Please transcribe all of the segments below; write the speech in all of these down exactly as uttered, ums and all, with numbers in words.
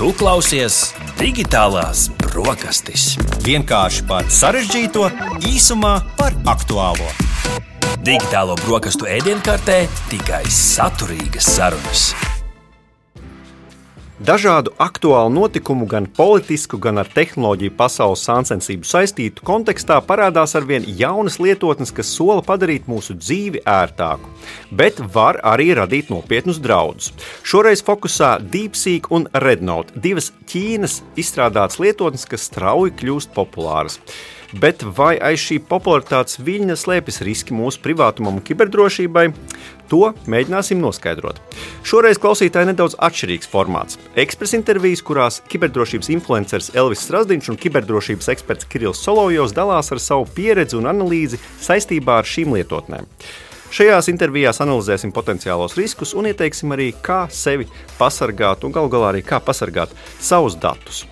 Tu klausies Digitālās brokastis. Vienkārši par sarežģīto, īsumā par aktuālo. Digitālo brokastu ēdienkartē tikai saturīgas sarunas. Dažādu aktuālu notikumu, gan politisku, gan ar tehnoloģiju pasaules sāncensību saistītu kontekstā parādās arvien jaunas lietotnes, kas sola padarīt mūsu dzīvi ērtāku, bet var arī radīt nopietnus draudus. Šoreiz fokusā DeepSeek un Rednote, divas Ķīnas izstrādātas lietotnes, kas strauji kļūst populāras. Bet vai aiz šī popularitātes viļņa slēpjas riski mūsu privātumam un kiberdrošībai? To mēģināsim noskaidrot. Šoreiz klausītāji nedaudz atšķirīgs formāts. Ekspres intervijas, kurās kiberdrošības influenceris Elvis Strazdins un kiberdrošības eksperts Kirills Solovjovs dalās ar savu pieredzi un analīzi saistībā ar šīm lietotnēm. Šajās intervijās analizēsim potenciālos riskus un ieteiksim arī, kā sevi pasargāt un galu galā arī kā pasargāt savus datus.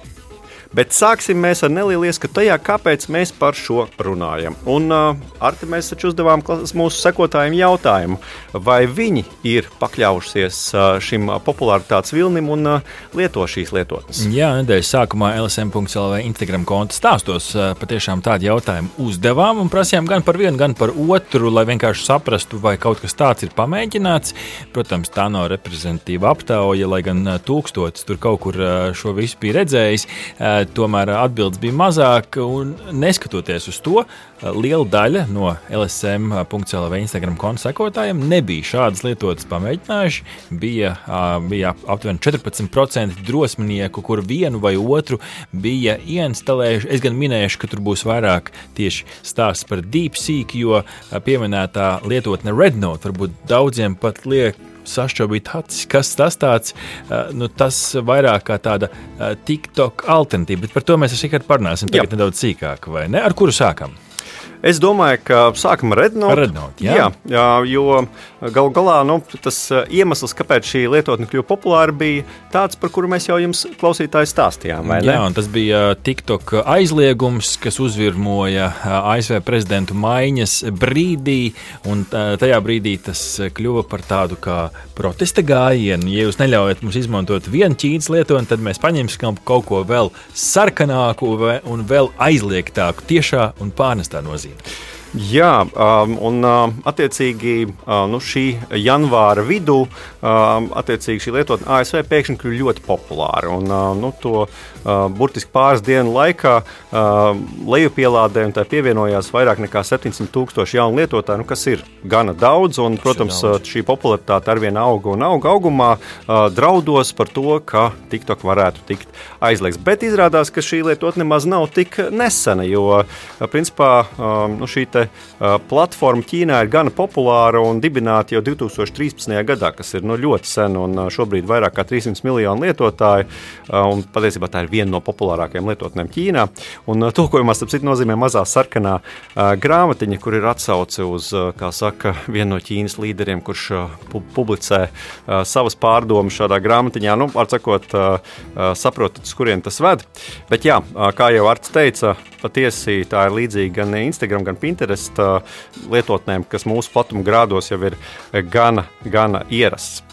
Bet sāksim mēs ar nelielu ieskatu tajā, kāpēc mēs par šo runājam. Un uh, Arti, mēs taču uzdevām mūsu sekotājiem jautājumu, vai viņi ir pakļaujušies uh, šim popularitātes vilnim un uh, lieto šīs lietotnes. Jā, nedēļas sākumā L S M punkts L V Instagram konta stāstos uh, patiešām tādu jautājumu uzdevām un prasījām gan par vienu, gan par otru, lai vienkārši saprastu, vai kaut kas tāds ir pamēģināts. Protams, tā nav reprezentatīva aptauja, lai gan uh, tūkstotis tur kaut kur uh, šo visu bija redzējis. Uh, Tomēr atbildes bija mazāk, un neskatoties uz to, liela daļa no L S M punkts L V Instagram konta sekotājiem nebija šādas lietotas pamēģinājuši. Bija, bija aptuveni četrpadsmit procenti drosminieku, kur vienu vai otru bija ieinstalējuši. Es gan minēšu, ka tur būs vairāk tieši stāsts par DeepSeek, jo pieminētā lietotne Rednote varbūt daudziem pat liek sašķobīt acis, kas tas tāds, nu tas vairāk kā tāda TikTok alternatīva, bet par to mēs ar Rihardu parunāsim tagad nedaudz sīkāk, vai ne? Ar kuru sākam? Es domāju, ka sākam ar Rednote. Rednote, jā. Jā, jā, jo galu galā nu, tas iemesls, kāpēc šī lietotne kļuva populāra, bija tāds, par kuru mēs jau jums klausītāji stāstījām, vai ne? Jā, un tas bija TikTok aizliegums, kas uzvirmoja A S V prezidentu maiņas brīdī, un tajā brīdī tas kļuva par tādu kā protesta gājienu. Ja jūs neļaujat mums izmantot vienu Ķīnas lietotni, tad mēs paņemsim kaut ko vēl sarkanāku un vēl aizliegtāku tiešā un pārnestā nozīmē. Jā, un attiecīgi nu, šī janvāra vidū attiecīgi šī lietotne A S V pēkšņi kļuva ļoti populāra. Un, nu, to burtiski pāris dienu laikā lejupielādē un tā pievienojās vairāk nekā septiņsimt tūkstoši jaunu lietotāju, nu, kas ir gana daudz. Un, protams, šī popularitāte arvien auga un auga augumā draudos par to, ka TikTok varētu tikt aizliegts. Bet izrādās, ka šī lietotne nemaz nav tik nesena, jo principā nu, šī te platforma Ķīnā ir gana populāra un dibināta jau divi tūkstoši trīspadsmitajā gadā, kas ir nu, ļoti sen un šobrīd vairāk kā trīssimti miljoni lietotāju. Un patiesībā tā ir viena no populārākajām lietotnēm Ķīnā. Un tulkojumā, starp citu, nozīmē mazā sarkanā uh, grāmatiņa, kur ir atsauce uz, uh, kā saka, vienu no Ķīnas līderiem, kurš uh, pu- publicē uh, savas pārdomas šādā grāmatiņā. Nu, var sakot, uh, uh, saprotat, uz kurien tas ved. Bet jā, uh, kā jau Arts teica, patiesi tā ir līdzīga gan Instagram, gan Pinterest uh, lietotnēm, kas mūsu platuma grādos jau ir gana, gana ierasts.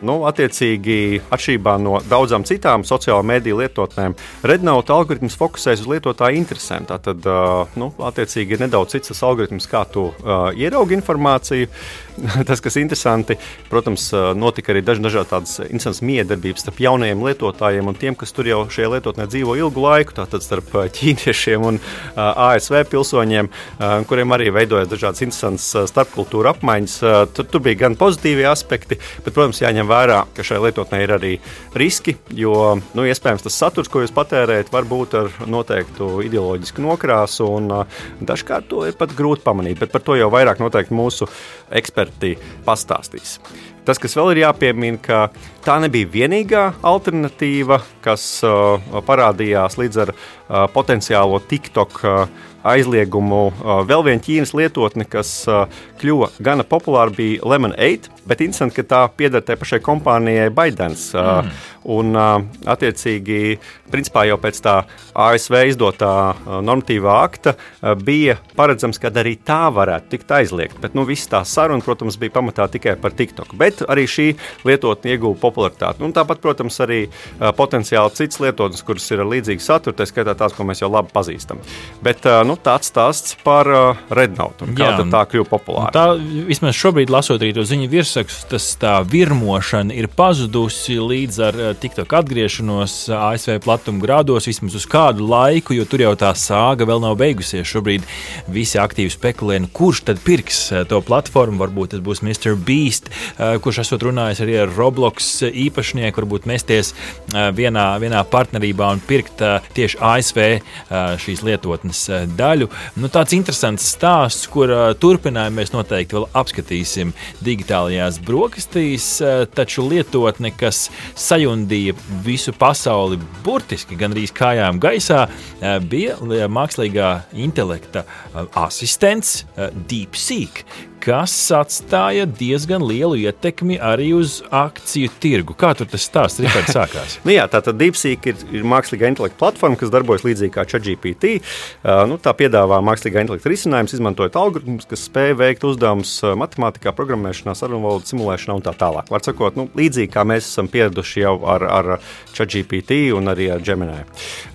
Nu, attiecīgi, atšķirībā no daudzām citām sociālo mediju lietotnēm, Rednote algoritms fokusēs uz lietotāju interesēm. Tātad, uh, nu, attiecīgi, ir nedaudz cits tas algoritms, kā tu uh, ieraugi informāciju. Tas, kas interesanti, protams, notika arī daži dažādi tādas interesantas miedarbības starp jaunajiem lietotājiem un tiem, kas tur jau šajā lietotnē dzīvo ilgu laiku, tātad starp ķīniešiem un uh, A S V pilsoņiem, uh, kuriem arī veidojas dažādas interesantas uh, starpkultūra apmaiņas. Uh, tur, tur bija gan pozitīvi aspekti, bet, protams, jāņem vērā, ka šai lietotnē ir arī riski, jo, nu, iespējams, tas saturs, ko jūs patērējat, var būt ar noteiktu ideoloģisku nokrāsu, un uh, dažkārt to ir pat grūti pamanīt, bet par to jau vairāk noteikti mūsu eksperti pastāstīs. Tas, kas vēl ir jāpiemina, ka tā nebija vienīgā alternatīva, kas uh, parādījās līdz ar uh, potenciālo TikTok uh, aizliegumu. Vēl viena Ķīnas lietotne, kas kļuva gana populāra, bija Lemon eight, bet interesanti, ka tā pieder tai pašai kompānijai ByteDance. Mm. Un, attiecīgi, principā jau pēc tā A S V izdotā normatīvā akta bija paredzams, ka arī tā varētu tikt aizliegt. Bet, nu, viss tā saruna, protams, bija pamatā tikai par TikTok. Bet arī šī lietotne ieguva popularitāti. Un tāpat, protams, arī potenciāli citas lietotnes, kuras ir ar līdzīgu saturu, tā skaitā tās, ko mēs jau labi pazīstam. Bet, nu, tāds stāsts par Rednote un kā Jā, tā kļuva populāra. Tā, vismaz šobrīd, lasot arī to ziņu virsrakstus, tas tā virmošana ir pazudusi līdz ar TikTok atgriešanos A S V platuma grādos vismaz uz kādu laiku, jo tur jau tā sāga vēl nav beigusies. Šobrīd visi aktīvi spekulē, kurš tad pirks to platformu. Varbūt tas būs mister Beast, kurš esot runājis arī ar Roblox īpašnieku, varbūt mesties vienā, vienā partnerībā un pirkt tieši A S V šīs lietotnes daļu. Nu, tāds interesants stāsts, kur turpinājumu mēs noteikti vēl apskatīsim digitālajās brokastīs, taču lietotne, kas sajundīja visu pasauli burtiski gandrīz kājām gaisā, bija mākslīgā intelekta asistents DeepSeek, kas atstāja diezgan lielu ietekmi arī uz akciju tirgu. Kā tur tas stāsts, Rihards, sākās? nu jā, tātad DeepSeek ir, ir mākslīgā intelekta platforma, kas darbojas līdzīgi kā ChatGPT. Uh, nu, tā piedāvā mākslīgā intelekta risinājumus, izmantojot algoritmus, kas spēj veikt uzdevumus matemātikā, programmēšanā, sarunvalodu simulēšanā un tā tālāk. Var sakot, nu, līdzīgi kā mēs esam pieraduši jau ar, ar ChatGPT un arī ar Gemini.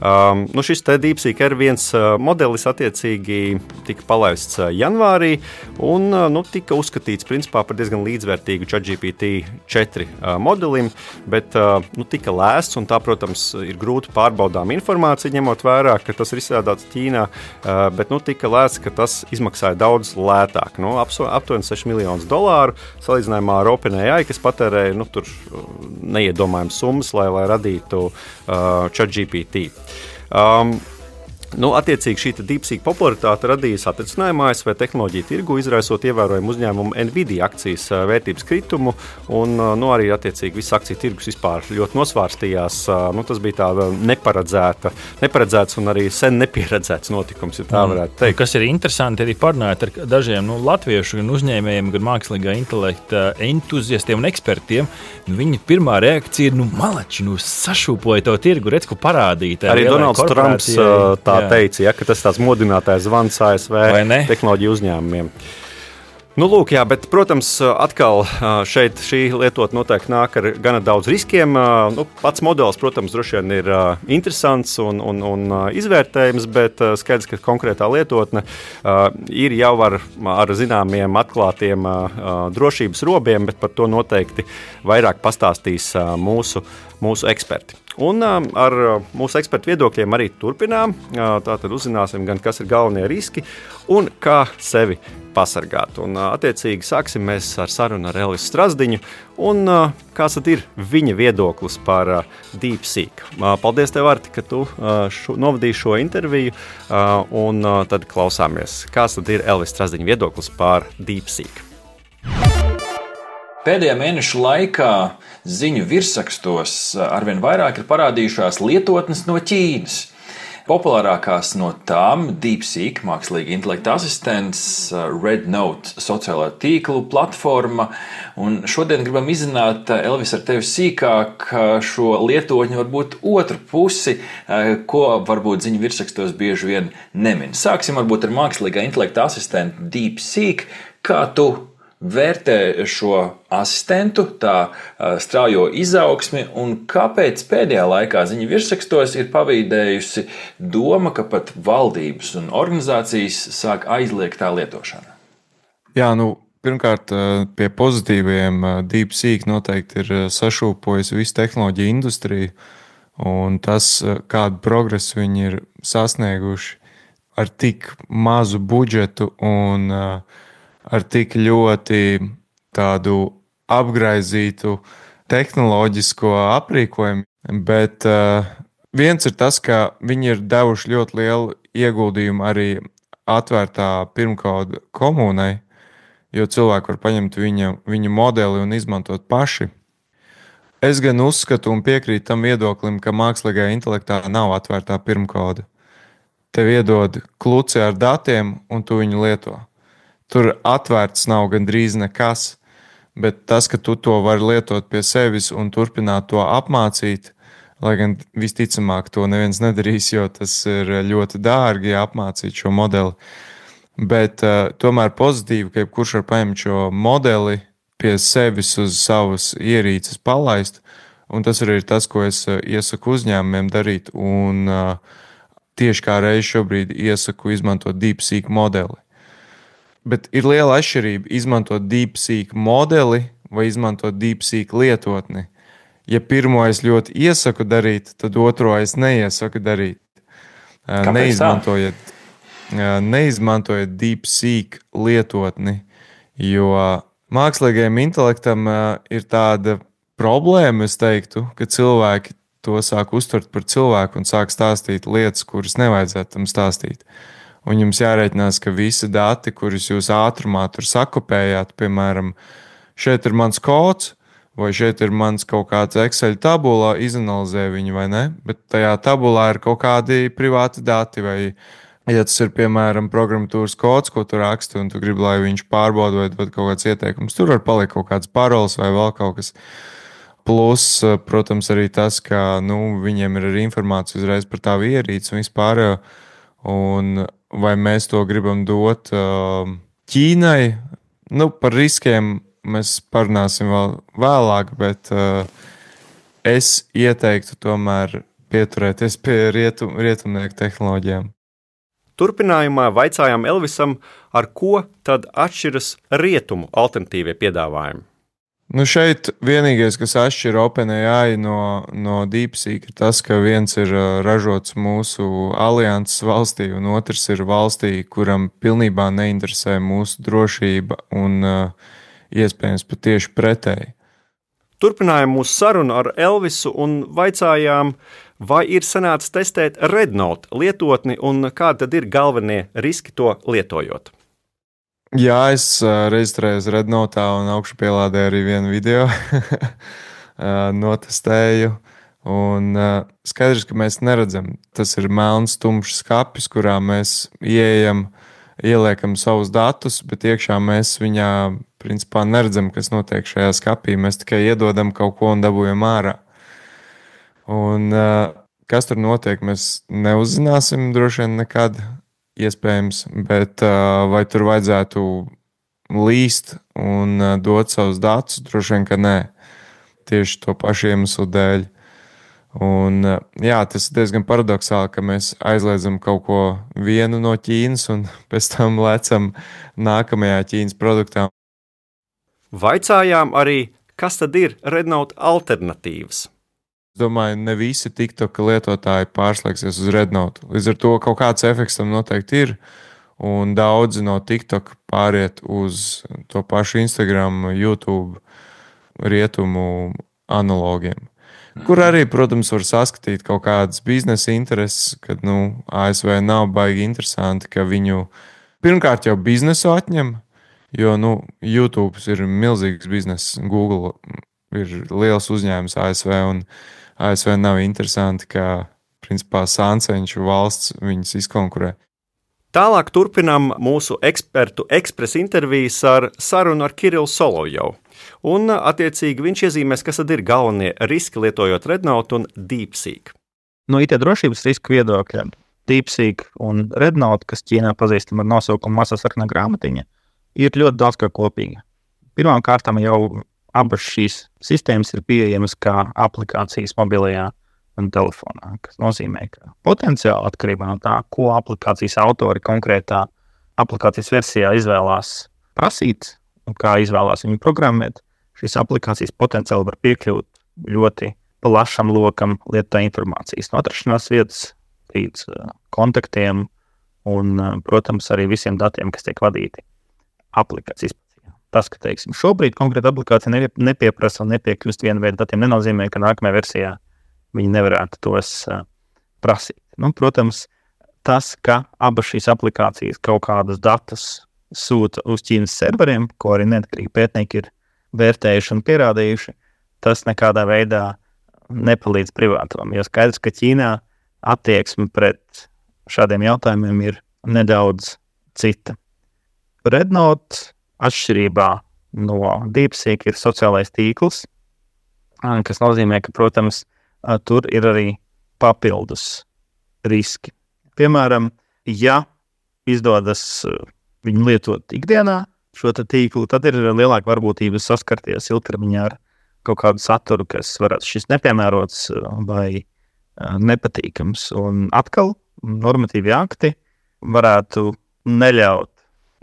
Um, nu, šis te DeepSeek ir viens modelis, attiecīgi tika palaists janvārī un nu, tika uzskatīts principā par diezgan līdzvērtīgu ChatGPT četri uh, modelim, bet uh, nu, tika lēsts, un tā, protams, ir grūti pārbaudām informācija, ņemot vērā, ka tas ir izstrādāts Ķīnā, uh, bet nu, tika lēsts, ka tas izmaksāja daudz lētāk, nu, aptuveni seši miljonus dolāru, salīdzinājumā ar OpenAI, kas patērēja nu, tur neiedomājums summas, lai, lai radītu uh, ChatGPT. Um, Nu, attiecīgi šī DeepSeek popularitāte radīja satricinājumu A S V tehnoloģiju tirgu, izraisot ievērojumu uzņēmumu Nvidia akcijas vērtības kritumu, un nu, arī attiecīgi viss akciju tirgus vispār ļoti nosvārstījās. Nu, tas bija tāda neparedzēta, neparedzēts un arī sen nepieredzēts notikums, ja tā varētu teikt. Kas ir interesanti, arī parunājot ar dažiem nu, latviešu gan uzņēmējiem, gan mākslīgā intelekta entuziastiem un ekspertiem, nu, viņa pirmā reakcija ir, nu, malači, nu, sašūpoja to tirgu, redz, ko parādīt. Arī Donalds Trumps tā teica, ja, ka tas tāds modinātājs zvans A S V tehnoloģiju uzņēmumiem. Nu, lūk, jā, bet, protams, atkal šeit šī lietotne noteikti nāk ar gana daudz riskiem. Nu, pats modelis, protams, droši vien ir interesants un, un, un izvērtējums, bet skaidrs, ka konkrētā lietotne ir jau ar, ar zināmiem atklātiem drošības robiem, bet par to noteikti vairāk pastāstīs mūsu, mūsu eksperti. Un ar mūsu ekspertu viedokļiem arī turpinām. Tātad uzzināsim gan, kas ir galvenie riski un kā sevi pasargāt. Un, attiecīgi, sāksim mēs ar sarunu ar Elvisu Strazdiņu. Un kāds tad ir viņa viedoklis par DeepSeek? Paldies tev, Arti, ka tu šo, novadīji šo interviju. Un tad klausāmies, kāds tad ir Elvis Strazdiņa viedoklis par DeepSeek. Pēdējā mēneša laikā ziņu virsrakstos arvien vairāk ir parādījušās lietotnes no Ķīnas. Populārākās no tām - DeepSeek, mākslīga intelekta asistents, Rednote, sociālā tīklu platforma. Un šodien gribam izzināt, Elvis, ar tevi sīkāk šo lietotņu varbūt otru pusi, ko varbūt ziņu virsrakstos bieži vien nemin. Sāksim varbūt ar mākslīgā intelekta asistentu DeepSeek. Kā tu vērtē šo asistentu, tā straujo izaugsmi, un kāpēc pēdējā laikā ziņu virsrakstos ir pavīdējusi doma, ka pat valdības un organizācijas sāk aizliegt tā lietošanu? Jā, nu, pirmkārt, pie pozitīviem DeepSeek noteikti ir sašūpojis visu tehnoloģiju industriju, un tas, kādu progresu viņi ir sasnieguši ar tik mazu budžetu un ar tik ļoti tādu apgraizītu tehnoloģisko aprīkojumu, bet uh, viens ir tas, ka viņi ir devuši ļoti lielu ieguldījumu arī atvērtā pirmkoda komunai, jo cilvēki var paņemt viņa, viņa modeli un izmantot paši. Es gan uzskatu un piekrītu tam viedoklim, ka mākslīgajā intelektā nav atvērtā pirmkoda. tev iedod kluci ar datiem, un tu viņu lieto. Tur atvērts nav gandrīz nekas, bet tas, ka tu to vari lietot pie sevis un turpināt to apmācīt, lai gan visticamāk to neviens nedarīs, jo tas ir ļoti dārgi apmācīt šo modeli. Bet uh, tomēr pozitīvi, ka jebkurš var paņemt šo modeli pie sevis uz savas ierīces palaist, un tas arī ir tas, ko es uh, iesaku uzņēmumiem darīt, un uh, tieši kā reiz šobrīd iesaku izmantot DeepSeek modeli. Bet ir liela atšķirība izmantot DeepSeek modeli vai izmantot DeepSeek lietotni. Ja pirmo es ļoti iesaku darīt, tad otro es neiesaku darīt. Uh, neizmantojiet Neizmantojiet DeepSeek lietotni, jo mākslīgajam intelektam ir tāda problēma, es teiktu, ka cilvēki to sāk uztvert par cilvēku un sāk stāstīt lietas, kuras nevajadzētu tam stāstīt. Un jums jārēķinās, ka visi dati, kurus jūs ātrumā tur sakopējāt, piemēram, šeit ir mans kods, vai šeit ir mans kaut kāds Excel tabulā, izanalizē viņu vai ne, bet tajā tabulā ir kaut kādi privāti dati vai ja tas ir, piemēram, programmatūras kods, ko tu raksti, un tu gribi, lai viņš pārbauda vai dod kaut kāds ieteikums, tur var palikt kaut kāds parols vai vēl kaut kas. Plus, protams, arī tas, ka nu, viņiem ir arī informācija uzreiz par tavu ierīci un vispār, un vai mēs to gribam dot Ķīnai. Nu, par riskiem mēs parunāsim vēl vēlāk, bet es ieteiktu tomēr pieturēties pie rietum, rietumnieku tehnoloģijām. Turpinājumā vaicājām Elvisam, ar ko tad atšķiras rietumu alternatīvie piedāvājumi. Nu šeit vienīgais, kas atšķir OpenAI no, no DeepSeek, ir tas, ka viens ir ražots mūsu alianses valstī, un otrs ir valstī, kuram pilnībā neinteresē mūsu drošība un uh, iespējams pat tieši pretēji. Turpinājām mūsu sarunu ar Elvisu un vaicājām, vai ir sanācis testēt Rednote lietotni un kādi tad ir galvenie riski to lietojot? Jā, es uh, reģistrējos Rednote un augšupielādēju arī vienu video, notestēju. Un uh, skaidrs, ka mēs neredzam, tas ir melns, tumšs skapis, kurā mēs ieejam, ieliekam savus datus, bet iekšā mēs viņā principā neredzam, kas notiek šajā skapī. Mēs tikai iedodam kaut ko un dabūjam ārā. Un uh, kas tur notiek, mēs neuzzināsim droši vien nekad, iespējams, bet uh, vai tur vajadzētu līst un uh, dot savus datus, droši vien, ka nē. Tieši to pašu iemeslu dēļ. Un, uh, jā, tas ir diezgan paradoxāli, ka mēs aizliedzam kaut ko vienu no Ķīnas un pēc tam lecam nākamajā Ķīnas produktā. Vaicājām arī, kas tad ir Rednote alternatīvas. Es domāju, ne visi TikTok lietotāji pārslēgsies uz Rednote. Līdz ar to kaut kāds efekts tam noteikti ir, un daudzi no TikTok pāriet uz to pašu Instagram, YouTube, rietumu analogiem. Kur arī, protams, var saskatīt kaut kādas biznesa intereses, kad nu, A S V nav baigi interesanti, ka viņu pirmkārt jau biznesu atņem, jo nu, YouTube ir milzīgs bizness, Google ir liels uzņēmums A S V, un A S V nav interesanti, ka principā sānceņšu valsts viņus izkonkurē. Tālāk turpinām mūsu ekspertu ekspresa intervijas ar sarunu ar Kirillu Solovjovu. Un, attiecīgi, viņš iezīmēs, kas tad ir galvenie riski lietojot Rednote un DeepSeek. No I T drošības riska viedokļa DeepSeek un Rednote, kas Ķīnā pazīstam ar nosaukumu mazā sarkanā grāmatiņa, ir ļoti daudz kā kopīga. Pirmām kārtām jau abas šīs sistēmas ir pieejamas kā aplikācijas mobilajā un telefonā, kas nozīmē, ka potenciāli atkarībā no tā, ko aplikācijas autori konkrētā aplikācijas versijā izvēlās prasīt un kā izvēlās viņu programmēt, šīs aplikācijas potenciāli var piekļūt ļoti plašam lokam lietotā informācijas no atrašanās vietas līdz kontaktiem un, protams, arī visiem datiem, kas tiek vadīti aplikācijas. Tas, ka, teiksim, šobrīd konkrēta aplikācija nepieprasa un nepiekļūst vienu veidu datiem, nenozīmē, ka nākamajā versijā viņi nevarētu tos uh, prasīt. Nu, protams, tas, ka abas šīs aplikācijas kaut kādus datus sūta uz Ķīnas serveriem, ko arī neatkarīgi pētnieki ir vērtējuši un pierādījuši, tas nekādā veidā nepalīdz privātumam. Jo skaidrs, ka Ķīnā attieksme pret šādiem jautājumiem ir nedaudz cita. Rednote atšķirībā no DeepSeek ir sociālais tīkls, kas nozīmē, ka, protams, tur ir arī papildus riski. Piemēram, ja izdodas viņu lietot ikdienā šo tīklu, tad ir lielāka varbūtība saskarties ilgtermiņā ar kaut kādu saturu, kas varētu šis nepiemērots vai nepatīkams. Un atkal normatīvi akti varētu neļaut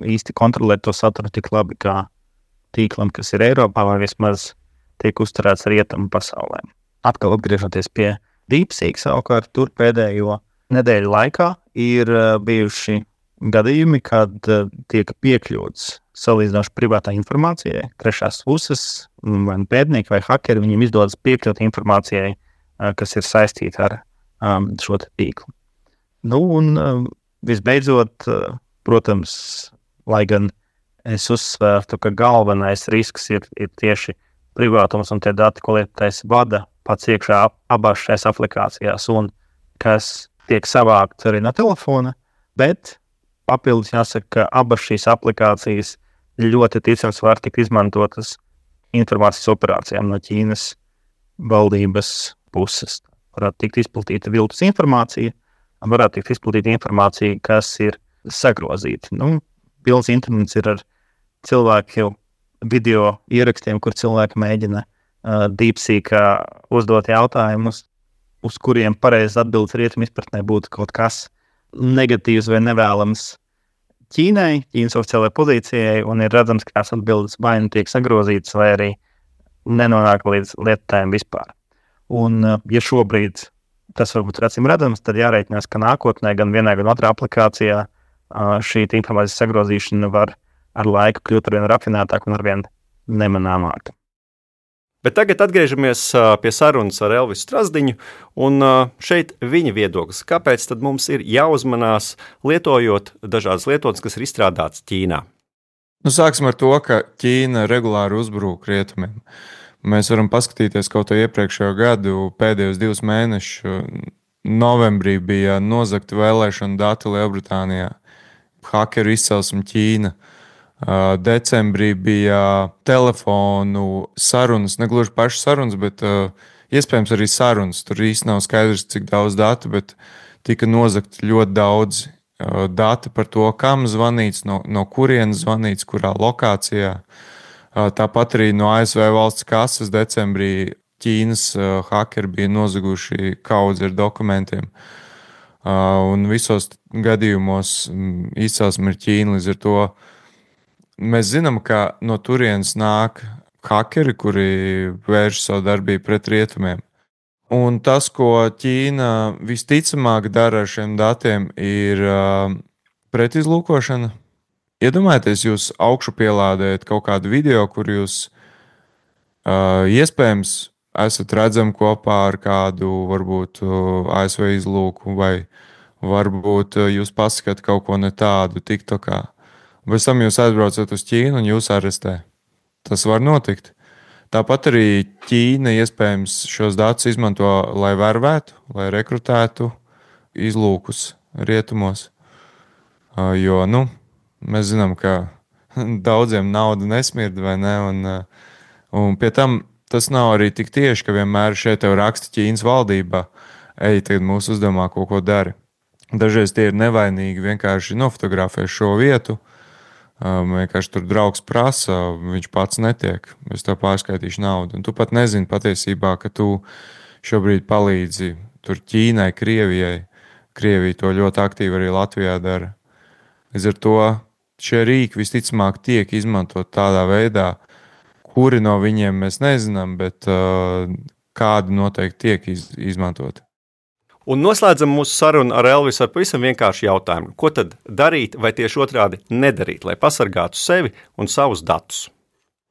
īsti kontrolēt to saturu tik labi kā tīklam, kas ir Eiropā vai vismaz tiek uzturēts rietumu pasaulē. Atkal atgriežoties pie DeepSeek, savukārt tur pēdējo nedēļu laikā ir bijuši gadījumi, kad tiek piekļūts salīdzinoši privātā informācijai. Trešās puses, vai pētnieki vai hakeri, viņiem izdodas piekļūt informācijai, kas ir saistīta ar um, šo tīklu. Nu, un um, visbeidzot, uh, protams, lai gan es uzsvērtu, ka galvenais risks ir, ir tieši privātums un tie dati, ko lietotājs vada pats iekšā abās šajās aplikācijās un kas tiek savākt arī no telefona, bet papildus jāsaka, ka abas šīs aplikācijas ļoti ticams var tikt izmantotas informācijas operācijām no Ķīnas valdības puses. Varētu tikt izplatīta viltus informācija, varētu tikt izplatīta informācija, kas ir sagrozīta. Nu, pilns internets ir ar cilvēku video ierakstiem, kur cilvēki mēģina uh, DeepSeekā uzdot jautājumus, uz kuriem pareizs atbildes rietumu izpratnē būtu kaut kas negatīvs vai nevēlams Ķīnai, Ķīnas oficiālajai pozīcijai, un ir redzams, ka tās atbildes vai nu tiek sagrozītas, vai arī nenonāk līdz lietotājiem vispār. Un, ja šobrīd tas varbūt ir acīm redzams, tad jārēķinās, ka nākotnē gan vienā, gan otrā aplikācijā šī informācijas sagrozīšana var ar laiku kļūt arvien rafinētāk un arvien nemanāmāk. Bet tagad atgriežamies pie sarunas ar Elvisu Strazdiņu, un šeit viņa viedoklis. Kāpēc tad mums ir jāuzmanās lietojot dažādas lietotnes, kas ir izstrādātas Ķīnā? Nu, sāksim ar to, ka Ķīna regulāri uzbrūk rietumiem. Mēs varam paskatīties kaut ko iepriekšējo gadu, pēdējos divus mēnešus. Novembrī bija nozagta vēlēšana dati Lielbritānijā. Hakeru izcelsme Ķīna. Decembrī bija telefonu sarunas, ne gluži pašas sarunas, bet uh, iespējams arī sarunas. Tur īsti nav skaidrs, cik daudz datu, bet tika nozagt ļoti daudz uh, dati par to, kam zvanīts, no, no kurienes zvanīts, kurā lokācijā. Uh, tāpat arī no A S V valsts kases decembrī Ķīnas uh, hakeri bija nozaguši kaudzi ar dokumentiem. Uh, un visos gadījumos um, izcelsme ir Ķīna, līdz ar to mēs zinām, ka no turienes nāk hakeri, kuri vērš savu darbību pret rietumiem. Un tas, ko Ķīna visticamāk dara ar šiem datiem, ir uh, pretizlūkošana. Iedomājieties, jūs augšu pielādējat kaut kādu video, kur jūs uh, iespējams esat redzami kopā ar kādu, varbūt A S V izlūku, vai varbūt jūs pasakāt kaut ko ne tādu TikTokā. Bez tam jūs aizbraucat uz Ķīnu un jūs arestē. Tas var notikt. Tāpat arī Ķīna iespējams šos datus izmanto, lai vervētu, lai rekrutētu izlūkus rietumos. Jo, nu, mēs zinām, ka daudziem nauda nesmird, vai ne? Un, un pie tam tas nav arī tik tieši, ka vienmēr šeit tev raksta Ķīnas valdībā, ej, tagad mūsu uzdevumā kaut ko dari. Dažreiz tie ir nevainīgi, vienkārši nofotografē šo vietu. Um, vienkārši tur draugs prasa, viņš pats netiek, es tev pārskaitīšu naudu. Un tu pat nezini patiesībā, ka tu šobrīd palīdzi tur Ķīnai, Krievijai. Krievija to ļoti aktīvi arī Latvijā dara. Līdz ar to šie rīki visticamāk tiek izmantot tādā veidā, kuri no viņiem mēs nezinām, bet uh, kādi noteikti tiek iz, izmantoti. Un noslēdzam mūsu sarunu ar Elvisu ar pavisam vienkāršu jautājumu. Ko tad darīt vai tieši otrādi nedarīt, lai pasargātu sevi un savus datus?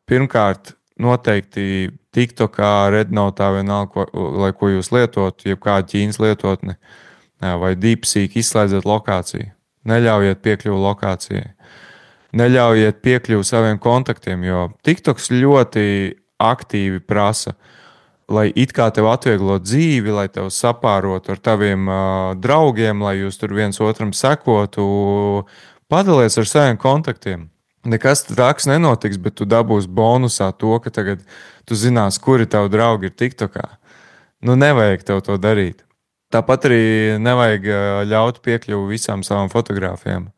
Pirmkārt, noteikti TikTokā, Rednotā vienalga, ko, lai ko jūs lietot, jebkāda Ķīnas lietotne vai DeepSeek, izslēdziet lokāciju. Neļaujiet piekļuvu lokācijai. Neļaujiet piekļuvu saviem kontaktiem, jo TikToks ļoti aktīvi prasa lai it kā tev atvieglo dzīvi, lai tev sapārotu ar taviem uh, draugiem, lai jūs tur viens otram sekotu, padalies ar saviem kontaktiem. Nekas traks nenotiks, bet tu dabūsi bonusā to, ka tagad tu zinās, kuri tavi draugi ir TikTokā. Nu, nevajag tev to darīt. Tāpat arī nevajag ļaut piekļuvu visām savām fotogrāfijām.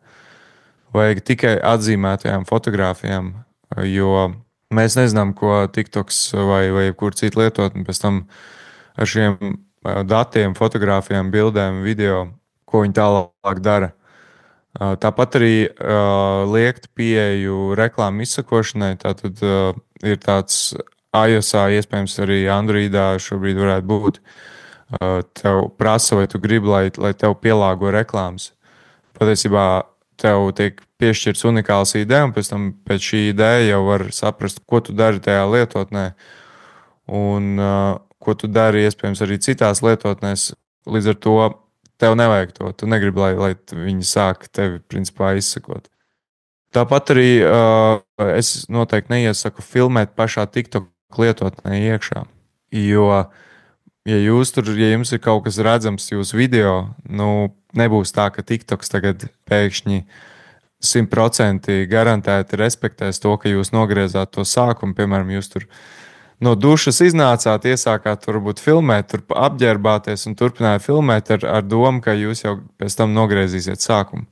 Vajag tikai atzīmētajām fotogrāfijām, jo mēs nezinām, ko TikToks vai, vai kur citu lietotni pēc tam ar šiem datiem, fotogrāfijām, bildēm, video, ko viņi tālāk dara. Tāpat arī uh, liekt pieeju reklāmu izsakošanai. Tātad uh, ir tāds iOS-ā, iespējams arī Androidā šobrīd varētu būt. Uh, tev prasa, vai tu gribi, lai, lai tev pielāgo reklāmas. Patiesībā tev tiek piešķirts unikāls ideja, un pēc tam pēc šī ideja jau var saprast, ko tu dari tajā lietotnē. Un uh, ko tu dari, iespējams, arī citās lietotnēs. Līdz ar to tev nevajag to. Tu negribi, lai, lai viņi sāk tevi principā izsakot. Tāpat arī uh, es noteikti neiesaku filmēt pašā TikTok lietotnē iekšā. Jo, ja, jūs tur, ja jums ir kaut kas redzams jūsu video, nu, nebūs tā, ka TikToks tagad pēkšņi simt procenti garantēti respektēs to, ka jūs nogriezāt to sākumu. Piemēram, jūs tur no dušas iznācāt, iesākāt varbūt filmēt, tur apģērbāties un turpinājāt filmēt ar, ar domu, ka jūs jau pēc tam nogriezīsiet sākumu.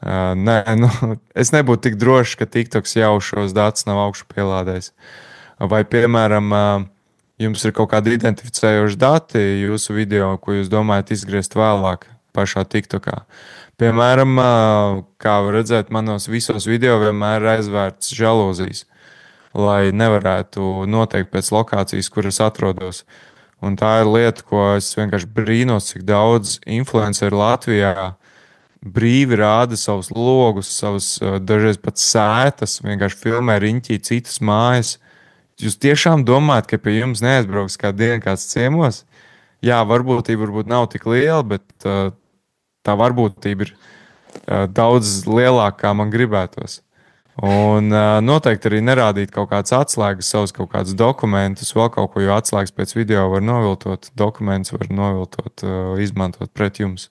Uh, nē, nu, es nebūtu tik drošs, ka TikToks jau šos datus nav augšu pielādējis. Vai, piemēram, uh, jums ir kaut kādi identificējoši dati jūsu video, ko jūs domājat izgriezt vēlāk pašā TikTokā. Piemēram, uh, kā var redzēt, manos visos video vienmēr ir aizvērts žalūzijas, lai nevarētu noteikt pēc lokācijas, kur es atrodos. Un tā ir lieta, ko es vienkārši brīnos, cik daudz influenceri Latvijā brīvi rāda savus logus, savus dažreiz pat sētas, vienkārši filmē riņķī citas mājas. Jūs tiešām domājat, ka pie jums neaizbrauks kādu dienu kāds ciemos? Jā, varbūtība varbūt nav tik liela, bet uh, tā varbūtība ir uh, daudz lielāka, kā man gribētos. Un uh, noteikti arī nerādīt kaut kādas atslēgas, savus kaut kādus dokumentus, vēl kaut ko, jo atslēgas pēc video var noviltot, dokumentus var noviltot, uh, izmantot pret jums.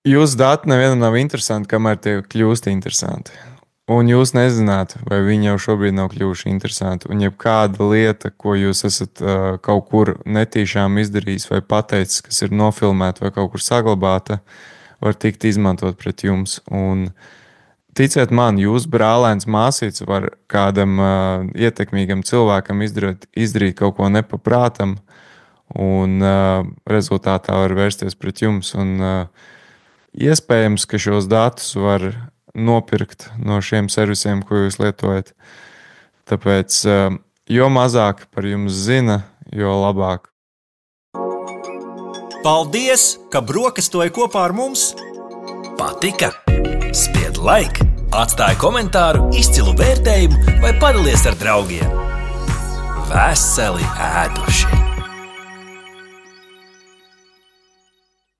Jūsu dati nevienam nav interesanti, kamēr tie kļūst interesanti. Un jūs nezināt, vai viņi jau šobrīd nav kļuvuši interesanti. Un jebkāda lieta, ko jūs esat uh, kaut kur netīšām izdarījis vai pateicis, kas ir nofilmēta vai kaut kur saglabāta, var tikt izmantot pret jums. Un ticiet man, jūsu brālēns māsīts var kādam uh, ietekmīgam cilvēkam izdarīt, izdarīt kaut ko nepaprātam, un uh, rezultātā var vērsties pret jums. Un, uh, iespējams, ka šos datus var nopirkt no šiem servisiem, ko jūs lietojat. Tāpēc, uh, jo mazāk par jums zina, jo labāk. Paldies, ka brokastoji kopā ar mums! Patika? Spied like, atstāj komentāru, izcilu vērtējumu vai padalies ar draugiem. Veseli ēduši!